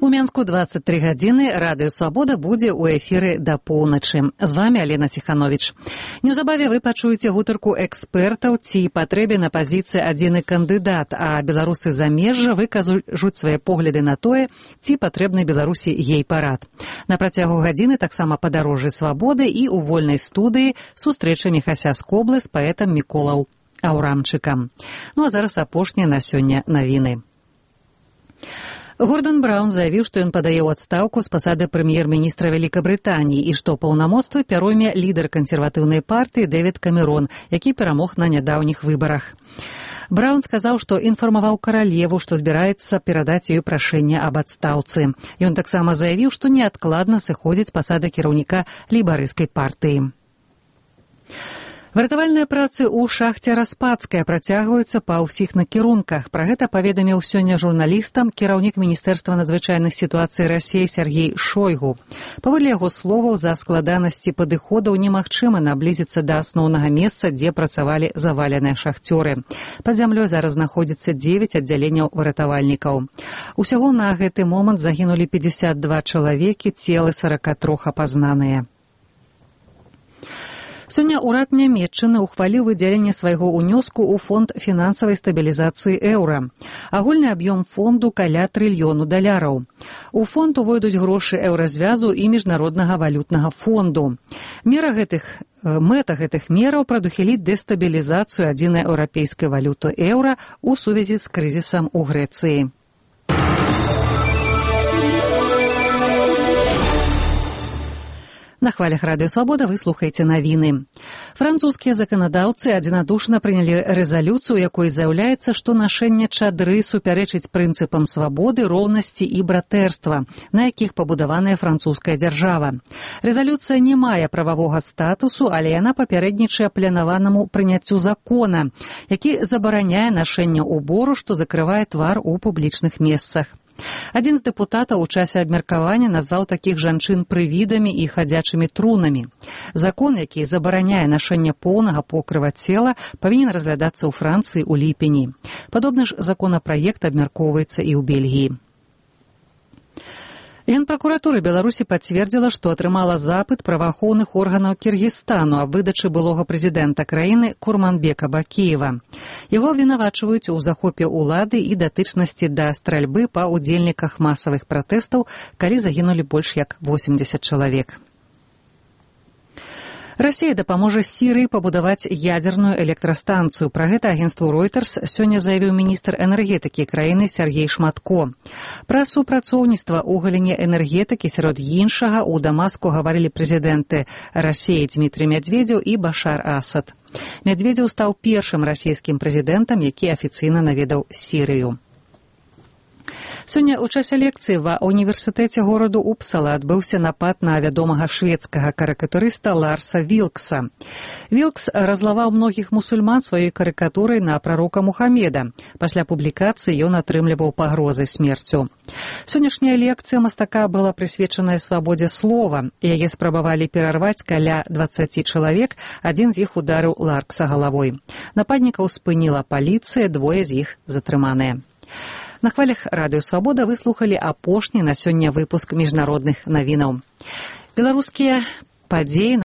У Мінску 23 гадзіны. Радыё «Свабода» будзе ў эфіры да поўначы. З вами Алена Ціхановіч. Неўзабаве вы пачуеце гутарку экспертаў, ці патрэбен на пазіцыі адзіны кандыдат, а беларусы замежжа выкажуць свае погляды на тое, ці патрэбны Беларусі гей-парад. На працягу гадзіны таксама падарожжы «Свабоды» і ў вольнай студыі сустрэча Міхася Скоблы з паэтам Міколаў Аўрамчыкам. Ну а зараз апошнія на сёння навіны. Гордон Браўн заявіў, што ён падае ў адстаўку з пасады прэм'ер-міністра Вялікабрытаніі і што паўнамоцтвы пяройме лідар кансерватыўнай партыі Дэвід Камерон, які перамог на нядаўніх выбарах. Браўн сказаў, што інфармаваў каралеву, што збіраецца перадаць ёй прашэнне аб адстаўцы. Ён таксама заявіў, што неадкладна сыходзіць з пасады кіраўніка лейбарысцкай партыі. Выратавальныя працы ў шахце Распадская працягваюцца па ўсіх накірунках. Пра гэта паведаміў сёння журналістам кіраўнік Міністэрства надзвычайных сітуацый Расіі Сергей Шойгу. Паводле яго словаў, за складанасці падыходаў немагчыма наблізіцца да асноўнага месца, дзе працавалі заваленыя шахцёры. Пад зямлёй зараз знаходзіцца 9 аддзяленняў выратавальнікаў. Усяго на гэты момант загінулі 52 чалавекі, целы 43 апазнаныя. Сёння ўрад Нямецчыны ухваліў выдзяленне свайго ўнёску ў фонд фінансавай стабілізацыі эўра. Агульны аб'ём фонду каля $1 трыльёнаў. У фонд увойдуць грошы еўразвязу і міжнароднага валютнага фонду. Мэта гэтых мераў прадухіліць дэстабілізацыю адзінай еўрапейскай валюты эўра ў сувязі з крызісам у Грэцыі. На хвалях Радыё «Свабода» вы слухаеце навіны. Французскія заканадаўцы адзінадушна прынялі рэзалюцыю, у якой заяўляецца, што нашэнне чадры супярэчыць прынцыпам свабоды, роўнасці і братэрства, на якіх пабудаваная французская дзяржава. Рэзалюцыя не мае прававога статусу, але яна папярэднічае планаванаму прыняццю закона, які забараняе нашэнне ўбору, што закрывае твар у публічных месцах. Адзін з дэпутатаў у часе абмеркавання назваў такіх жанчын прывідамі і хадзячымі трунамі. Закон, які забараняе нашэнне поўнага покрыва цела, павінен разглядацца ў Францыі ў ліпені. Падобны ж законапраект абмяркоўваецца і ў Бельгіі. Генпракуратура Беларусі пацвердзіла, што атрымала запыт праваахоўных органаў Кіргізстану аб выдачы былога прэзідэнта краіны Курманбека Бакіева. Яго абвінавачваюць у захопе ўлады і датычнасці да стральбы па ўдзельніках масавых пратэстаў, калі загінулі больш як 80 чалавек. Расія дапаможа Сірыі пабудаваць ядзерную электрастанцыю. Пра гэта агенцтву Reuters сёння заявіў міністр энергетыкі краіны Сергей Шматко. Пра супрацоўніцтва ў галіне энергетыкі сярод іншага ў Дамаску гаварылі прэзідэнты Расіі Дмітрый Мядзведзеў і Башар Асад. Мядзведзеў стаў першым расійскім прэзідэнтам, які афіцыйна наведаў Сірыю. Сёння ў часе лекцыі ва універсітэце гораду Упсала адбыўся напад на вядомага шведскага карыкатурыста Ларса Вілкса. Вілкс разлаваў многіх мусульман сваёй карыкатурай на прарока Мухаммеда. Пасля публікацыі ён атрымліваў пагрозы смерцю. Сённяшняя лекцыя мастака была прысвечаная свабодзе слова. Яе спрабавалі перарваць каля 20 чалавек, адзін з іх ударыў Ларкса галавой. Нападнікаў спыніла паліцыя, двое з іх затрыманыя. На хвалях Радыё «Свабода» вы слухалі апошні на сёння выпуск міжнародных навінаў. Беларускія падзеі